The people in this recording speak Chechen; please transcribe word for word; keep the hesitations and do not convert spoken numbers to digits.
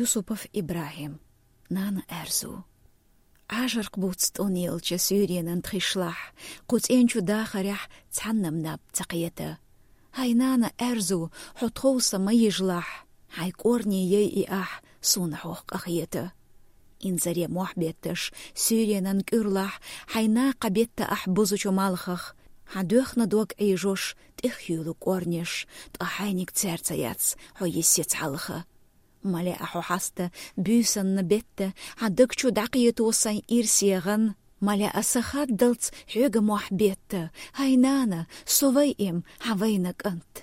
Юсупов Ибрагьим. Нана аьрзу. Ӏажархъ буц тӀун елча суьйренан тхишлахь, кху цӀен чу дахарехь цхьаннам наб ца кхета. Хьай, нана, аьрзу, хьо тхов сан ма йижлахь, хьайн кӀорне яй и ахь, суна хьох къахета. Инзаре мохь бетташ, суьйренан кӀуьрлахь, хьайн накха бетта ахь бузучу малхах, хьан доьхна дог Ӏийжош, тӀехъюьйлу кӀорнеш, ткъа хьайниг цаьрца яц хьо йиссе цхьалха. Мале а хьо хьаста, буьйсанна бетта, хьан даг чу дӀакхето сайн ирсе гӀан, мале а сан хаддалц хьоьга мохь бетта, хьай, нана, со вай им, хьан вайна кӀант.